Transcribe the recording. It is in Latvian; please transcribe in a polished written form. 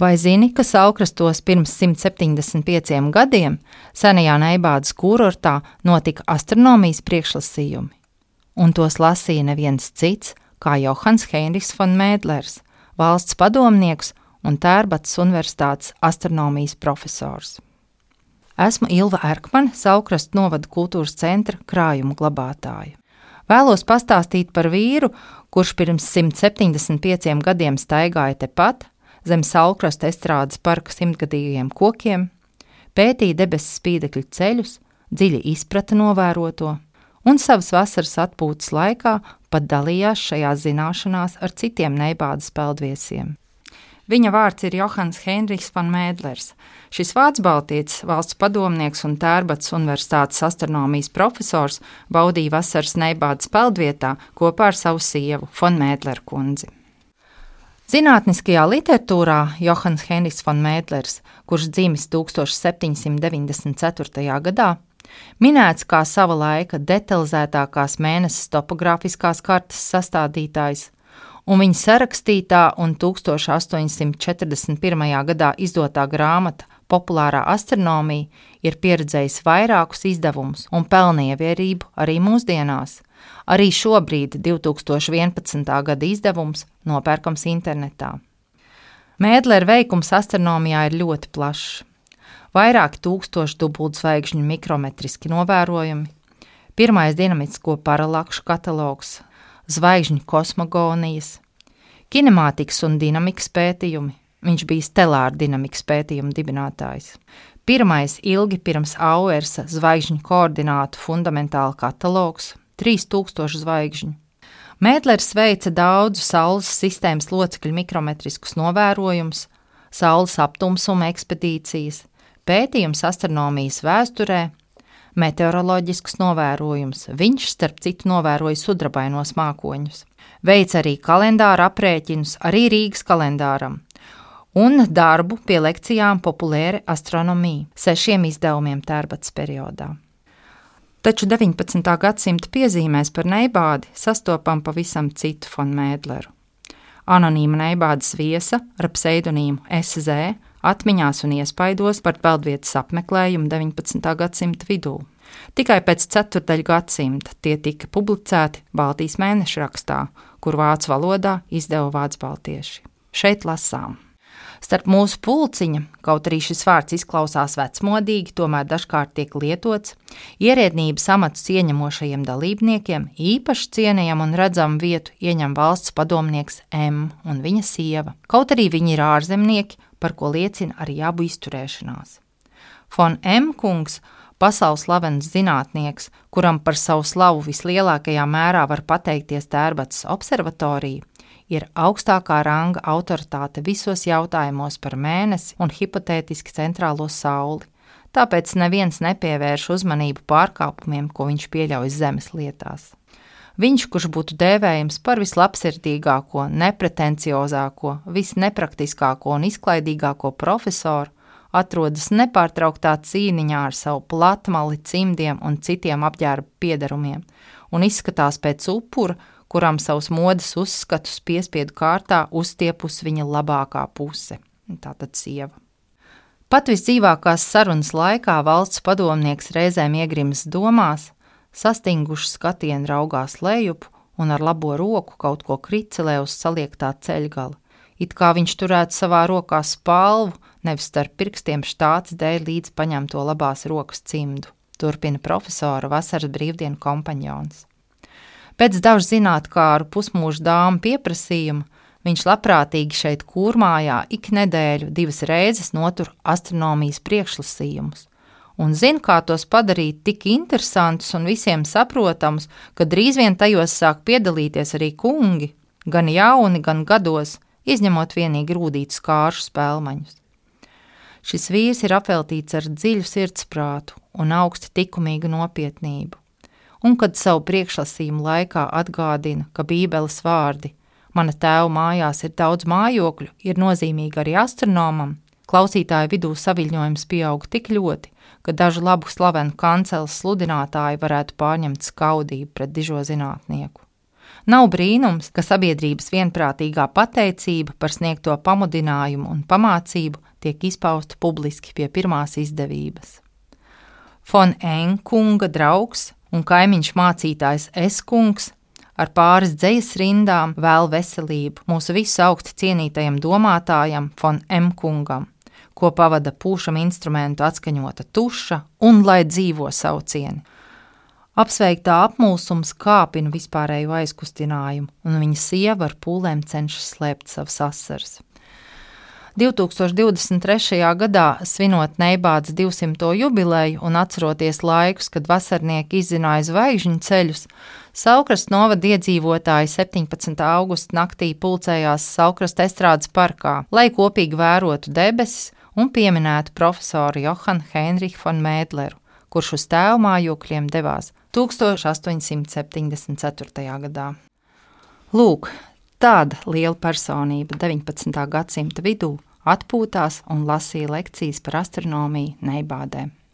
Vai zini, ka Saukrastos pirms 175 gadiem senajā Neibādas kurortā notika astronomijas priekšlasījumi? Un tos lasīja neviens cits kā Johans Heinrichs von Mēdlers, valsts padomnieks un Tērbatas universitātes astronomijas profesors. Esmu Ilva Erkmane, Saukrastu novada kultūras centra krājumu glabātāja. Vēlos pastāstīt par vīru, kurš pirms 175 gadiem staigāja tepat zem Saukrasta estrādes parka 100-gadīgajiem kokiem, pētīja debesu spīdekļu ceļus, dziļi izprata novēroto un savas vasaras atpūtas laikā pat dalījās šajās zināšanās ar citiem Neibādas peldviesiem. Viņa vārds ir Johans Heinrichs von Mēdlers. Šis vācu baltietis, valsts padomnieks un Tērbatas universitātes astronomijas profesors baudīja vasaras Neibādas peldvietā kopā ar savu sievu, von Mēdleru kundzi. Zinātniskajā literatūrā Johans Heinrichs von Mēdlers, kurš dzimis 1794. gadā, minēts kā sava laika detalizētākās mēneses topogrāfiskās kartes sastādītājs, un viņa sarakstītā un 1841. gadā izdotā grāmata Populārā astronomija ir pieredzējis vairākus izdevumus un pelna ievērību arī mūsdienās. Arī šobrīd 2011. gada izdevums nopērkams internetā. Mēdlera veikums astronomijā ir ļoti plašs. Vairāki tūkstoši dubultzvaigžņu mikrometriski novērojumi, pirmais dinamisko paralakšu katalogs, zvaigžņu kosmogonijas, kinemātikas un dinamikas pētījumi. Viņš bija stelāra dinamikas pētījuma dibinātājs. Pirmais ilgi pirms Auersa zvaigžņu koordinātu fundamentāla katalogs, 3000 zvaigžņu. Mēdlers veica daudzu Saules sistēmas locekļu mikrometriskus novērojumus, Saules aptumsuma ekspedīcijas, pētījums astronomijas vēsturē, meteoroloģiskus novērojumus. Viņš, starp citu, novēroja sudrabainos mākoņus. Veica arī kalendāra aprēķinus, arī Rīgas kalendāram, un darbu pie lekcijām Populāra astronomija, 6 izdevumiem Tērbatas periodā. Taču 19. gadsimta piezīmēs par Neibādi sastopam pavisam citu von Mēdleru. Anonīma Neibādas viesa ar pseidonīmu SZ atmiņās un iespaidos par peldvietas apmeklējumu 19. gadsimta vidū. Tikai pēc ceturdaļa gadsimta tie tika publicēti Baltijas mēnešrakstā, kur vācu valodā izdeva vācu baltieši. Šeit lasām. Starp mūsu pulciņa, kaut arī šis vārds izklausās vecmodīgi, tomēr dažkārt tiek lietots, ierēdnības amatus ieņemošajiem dalībniekiem īpaši cienījam un redzam vietu ieņem valsts padomnieks M un viņa sieva, kaut arī viņi ir ārzemnieki, par ko liecina arī abu izturēšanās. Von M kungs, pasaules slavens zinātnieks, kuram par savu slavu vislielākajā mērā var pateikties Tērbatas observatorija, ir augstākā ranga autoritāte visos jautājumos par mēnesi un hipotētiski centrālo sauli, tāpēc neviens nepievērš uzmanību pārkāpumiem, ko viņš pieļauj zemes lietās. Viņš, kurš būtu dēvējams par vislabsirdīgāko, nepretenciozāko, visnepraktiskāko un izklaidīgāko profesoru, atrodas nepārtrauktā cīniņā ar savu platmali, cimdiem un citiem apģērba piedarumiem un izskatās pēc upura, kuram savus modes uzskatus piespiedu kārtā uzstiepus viņa labākā puse, tātad sieva. Pat visdzīvākās sarunas laikā valsts padomnieks reizēm iegrimas domās, sastinguši skatienu raugās lejup un ar labo roku kaut ko kricelē uz saliektā ceļgala, it kā viņš turētu savā rokā spalvu, nevis starp pirkstiem štāts dēļ līdz paņemto labās rokas cimdu, turpina profesora vasaras brīvdienu kompaņons. Pēc dažu zinātkāru pusmūža dāmu pieprasījuma viņš labprātīgi šeit Kūrmājā ik nedēļu 2 reizes notur astronomijas priekšlasījumus un zina, kā tos padarīt tik interesantus un visiem saprotamus, ka drīz vien tajos sāk piedalīties arī kungi, gan jauni, gan gados, izņemot vienīgi rūdītus kāršu spēlmaņus. Šis vīrs ir apveltīts ar dziļu sirdsprātu un augsti tikumīgu nopietnību. Un kad savu priekšlasījumu laikā atgādina, ka Bībeles vārdi "Mana tēva mājās ir daudz mājokļu" ir nozīmīgi arī astronomam, klausītāju vidū saviļņojums pieaug tik ļoti, ka dažu labu slavenu kanceles sludinātāji varētu pārņemt skaudību pret dižo zinātnieku. Nav brīnums, ka sabiedrības vienprātīgā pateicība par sniegto pamudinājumu un pamācību tiek izpausta publiski pie pirmās izdevības. Fon Enkunga draugs un kaimiņš mācītājs S. ar pāris dzejas rindām vēl veselību mūsu visu augsti cienītajam domātājam Fon M. kungam, ko pavada pūšam instrumentu atskaņota tuša un lai dzīvo saucieni. Apsveiktā apmulsums kāpina vispārējo aizkustinājumu, un viņa sieva ar pūlēm cenšas slēpt savas asaras. 2023. gadā, svinot Neibādas 200. jubileju un atceroties laikus, kad vasarnieki izzināja zvaigžņu ceļus, Saulkrastu novada iedzīvotāji 17. augusta naktī pulcējās Saulkrasta estrādes parkā, lai kopīgi vērotu debesis un pieminētu profesoru Johanu Heinrichu von Mēdleru, kurš uz tēva mājokļiem devās 1874. gadā. Lūk, tāda liela personība 19. gadsimta vidū atpūtās un lasīja lekcijas par astronomiju Neibādē.